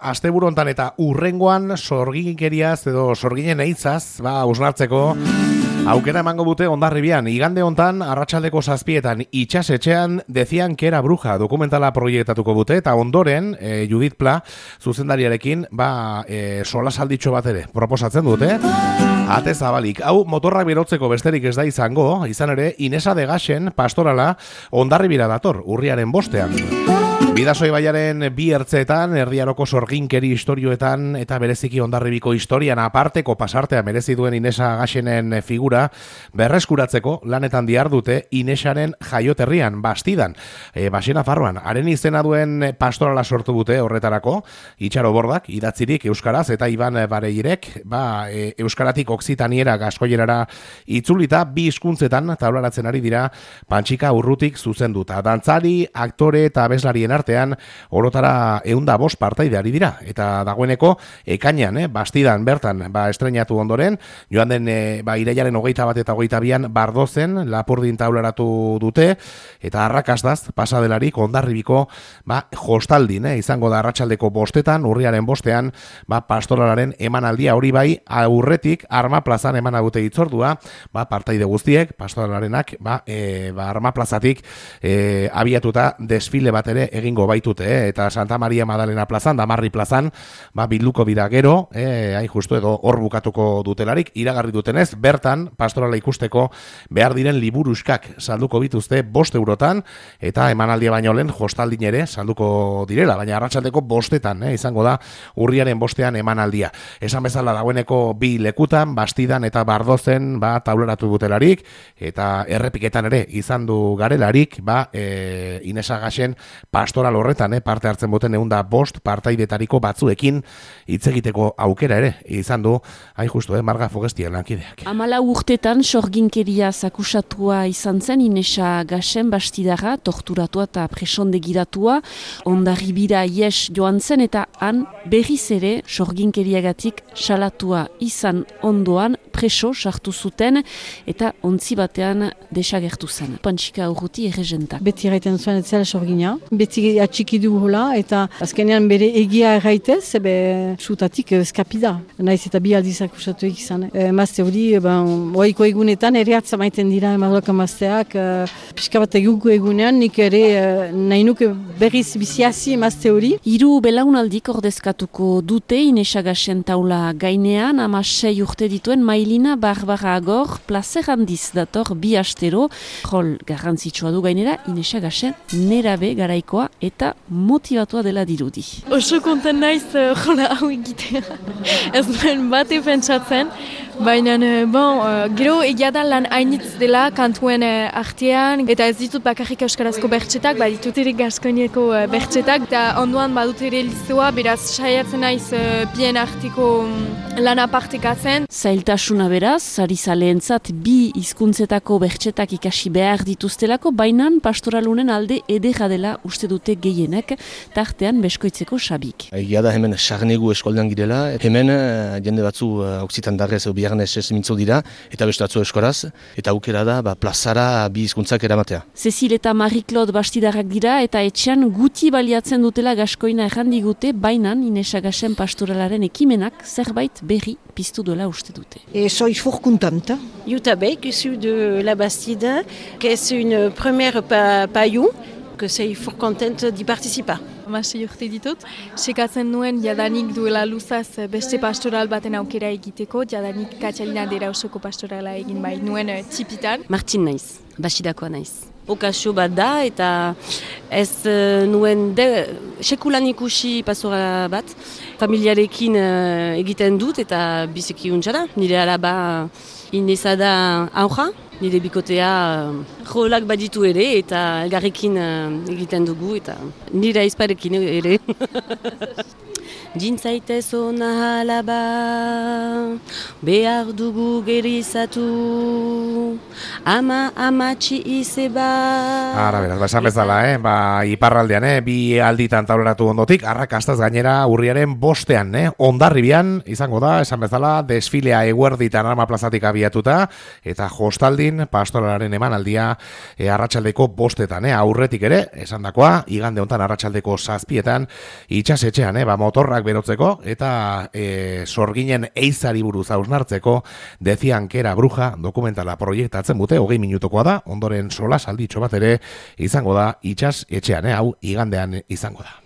asteburu hontan eta urrengoan sorginkeriaz edo sorginen eitzaz, usnartzeko aukera emango dute Hondarribian. Igande hontan, arratsaldeko 7:00 itxasetxean Decían que era bruja dokumentala proiektatuko dute, eta ondoren Judith Pla zuzendariarekin solasalditxo bat ere proposatzen dute. Ate zabalik, hau motorrak berotzeko besterik ez da izan ere Inesa de Gaxen pastorala Hondarribira dator, urriaren 5. Bidasoa ibaiaren bi ertzeetan, erdiaroko sorginkeri istorioetan eta bereziki Hondarribiko historian aparteko pasartea merezi duen Inesa Gaxenen figura berreskuratzeko lanetan dihardute Inesaren jaioterrian, Bastidan, Baxena Farroan. Haren izena duen pastorala sortu dute horretarako, Itxaro Bordak idatzirik euskaraz eta Iban Bareirek euskaratik oksitaniera gaskoierara itzulita bi hizkuntzetan taularatzen ari dira Pantxika Urrutik zuzenduta. Dantzari, aktore eta abeslarien artean orotara 105 partaide ari dira, eta dagoeneko ekainean, Bastidan bertan estrenatu ondoren, joan den irailaren 21 eta 22an Bardozen Lapurdin taularatu dute, eta arrakastaz pasadelarik Hondarribiko jostaldin, izango da arratsaldeko 5:00, urriaren 5:00, pastoralaren emanaldia, hori bai aurretik Arma Plazan emana dute hitzordua, partaide guztiek pastoralarenak Arma Plazatik abiatuta desfile bat ere egingo baitute, eta Santa Maria Madalena plazan, Damarri plazan, bilduko dira gero, hain justu edo hor bukatuko dutelarik, iragarri dutenez, bertan pastorala ikusteko behar diren liburuskak salduko bituzte 5 eurotan, eta emanaldia baino lehen jostaldin ere salduko direla, baina arratsaldeko 5:00 izango da urriaren 5:00 emanaldia. Esan bezala dagoeneko bi lekutan, Bastidan eta Bardozen taularatu dutelarik, eta errepiketan ere izan du garelarik, Inesa Gaxen pastoral horretan parte hartzen duten 105 partaidetariko batzuekin hitz egiteko aukera ere izan du, hain justu, Marga Fogestien lankideak. 14 urtetan sorginkeria akusatua izan zen Inesa Gaxen Bastidarra, torturatua eta presondegiratua, Hondarribira ies joan zen, eta han berriz ere sorginkeriagatik salatua izan ondoan preso sartu zuten, eta ontzi batean desagertu zen. Pantxika Urruti erregentak. Beti erraiten zuen etzela sorgina, beti atxikidu hola, eta azkenean bere egia erraitez, sutatik eskapida. Naiz eta bi aldiz akusatuek izan. Mazte hori, oaiko egunetan ere atzamaiten dira emaduak amazteak, pixka bat egunean, nik ere nahi nuke berriz biziazi mazte hori. 3 belaunaldik ordezkatuko dute Inesa Gaxen taula gainean, 16 urte dituen Mailina Barbara Agor plazer handiz dator bi astero, rol garrantzitsua du gainera Inesa Gaxen nerabe garaikoa eta motivatua dela dirudi. Oso konten naiz jola hau egitea. Ez duen bate pentsatzen, baina gero egia da lan hainitz dela kantuen artean, eta ez ditut bakarrik euskarazko bertxetak, ditut ere gaskoineko bertxetak, eta onduan badut ere lizoa, beraz saiatzen naiz bien arteko lan apartekatzen. Zailtasuna beraz, sarizaleentzat bi hizkuntzetako bertxetak ikasi behar dituztelako, bainan pastoralunen alde edera dela uste dute gehienek, tartean beskoitzeko Xabik. Egia da hemen sarnegu eskoldean girela, hemen jende batzu oksitan darrez biharnez ez mintzo dira, eta beste batzu eskoraz, eta aukera da plazara bi hizkuntzak eramatea. Cecil eta Marie-Claude Bastidarrak dira, eta etxean guti baliatzen dutela gaskoina errandigute, bainan Inesa Gaxen pastoralaren ekimenak zerbait berri piztu duela uste dute. Soy fort contente. Jutta Beck, issue de la Bastide, que c'est une première paillou, que c'est fort contente d'y participer. 16 urte ditut. Sekatzen nuen jadanik duela luzaz beste pastoral baten aukera egiteko, jadanik Katxalina dera osoko pastorala egin bai nuen txipitan. Martin naiz, Bastidakoa naiz. Okazio bat da, eta ez nuen sekulan ikusi pastora bat, familiarekin egiten dut, eta biziki untsa da. Nire alaba Inesa da aurra, nire bikotea rolak baditu ere, eta elgarrekin egiten dugu, eta nire aizparekin ere. Jintzaitez ona alaba, behar dugu gerizatu, amatxi izeba. Ara, beraz, esan bezala, iparraldean, bi alditan tauleratu ondotik, arrakastaz gainera urriaren 5ean, Hondarribian, izango da, esan bezala, desfilea eguerditan Arma plazatik abiatuta, eta hostaldin pastoralaren emanaldia arratsaldeko 5etan, aurretik ere, esan dakoa, igande hontan arratsaldeko 7etan, itxasetxean, motorrak berotzeko, eta sorginen eizari buruz hausnartzeko, Decían que era bruja, dokumentala proiektatzen dute, 20 minutokoa da, ondoren solas alditxo bat ere izango da itxas etxean, hau igandean izango da.